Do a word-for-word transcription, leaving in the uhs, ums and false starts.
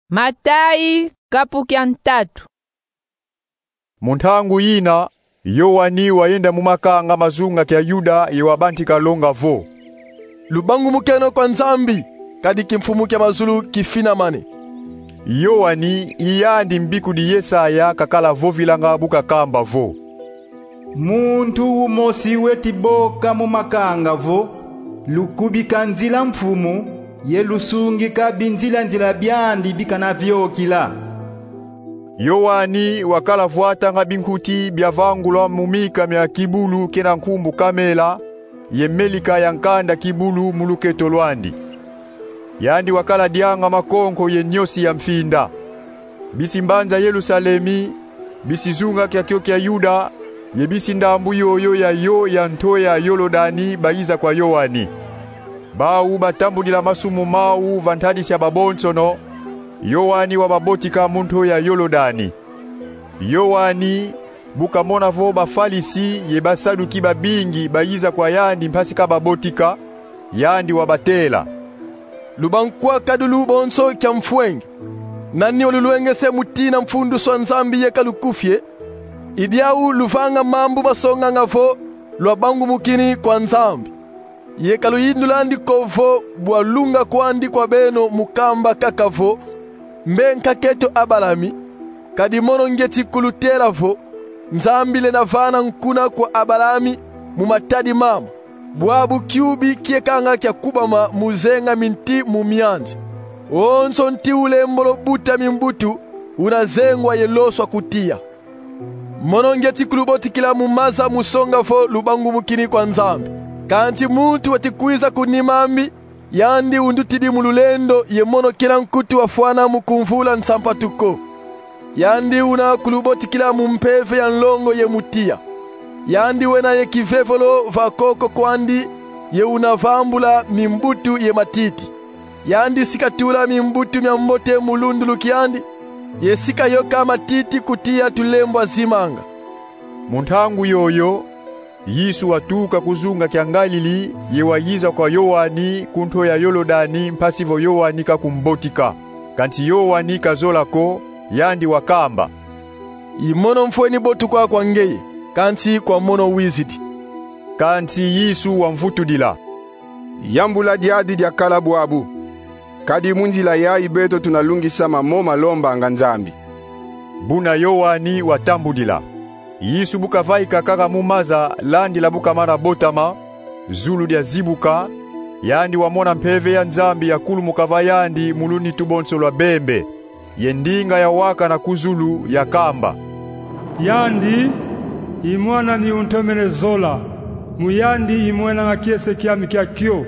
Matayi, kapu kia ntatu. Mu ntangu yina, Yoani wayenda mu makanga ma zunga kia Yuda ye wabantika longa vo: Lubangumukeno kwa Nzambi, kadi kimfumu kia mazulu kifinamane. Yoani i yandi mbikudi Yesaya kakala vovilanga bu kakamba vo: Muntu umosi weti boka mu makanga vo: Lukubika nzila Mfumu, ye lusungika binzila-nzila biandi bikana viokila. Yoani wakala vwatanga binkuti biavangulwa mu mika mia kibulu kena nkumbu Kamela, ye melika ya nkanda kibulu mu luketo lwandi. Yandi wakala dianga makonko ye nyosi ya mfinda. Bisi mbanza Yerusalemi, bisi zunga kiakio kia Yuda, ye bisi ndambu yoyo ya yo ya nto ya Yolodani bayiza kwa Yoani. Bau batambudila masumu mau va ntadisi ya babonsono, Yoani wababotika mu nto ya Yolodani. Yoani bu kamona vo Bafalisi ye Basaduki babingi bayiza kwa yandi mpasi kababotika, yandi wabatela: Lubankwakadulu bonso kia mfwenge. Nani walulwengese mutina mfunduswa Nzambi ye kalukufie? I diau luvanga mambu masonganga vo lwabangumukini kwa Nzambi. Ye kaluyindulandi ko vo bwa lunga kwandi kwa beno mu kamba kaka vo: Mbe nkak'eto Abalami. Kadi mono ngieti kulutela vo: Nzambi lenda vana nkuna kwa Abalami mu matadi mama. Bwabu kiubi kiekanga kia kubama mu zenga minti mu mianzi. Wonso nti ulembolo buta mimbutu una zengwa ye loswa ku tiya. Mono ngieti kulubotikila mu maza mu songa vo lubangumukini kwa Nzambi. Kansi muntu weti kwiza ku nima ami, yandi undutidi mu lulendo ye mono kena nkutu wafwana mu kumvula nsampatu ko. Yandi una kulubotikila mu mpeve ya nlongo ye mu tiya. Yandi wena ye kivevolo va koko kwandi, ye una vambula mimbutu ye matiti. Yandi si katula mimbutu mia mbote mu lundulu kiandi, ye si kayoka matiti ku tiya tulembwa zimanga. Mu ntangu yoyo, Yesu watuka ku zunga kia Ngalili ye wayiza kwa Yoani ku nto ya Yolodani mpasi vo Yoani kakumbotika. Kansi Yoani kazola ko, yandi wakamba: I mono mfweni botuka kwa ngeye, kansi kwa mono wizidi. Kansi Yesu wamvutudila: Yambula diadi diakala bwabu. Kadi mu nzila yayi beto tuna lungisama mo malombanga Nzambi. Buna Yoani watambudila. Yesu bu kavaika kaka mu maza landila bu kamana botama, zulu diazibuka, yandi wamona mpeve ya Nzambi yakulumuka va yandi mu lunitu bonso lwa bembe. Ye ndinga yawakana ku zulu yakamba: Yandi i Mwan'ami untomene zola, mu yandi imwenanga kiese kiami kia kio.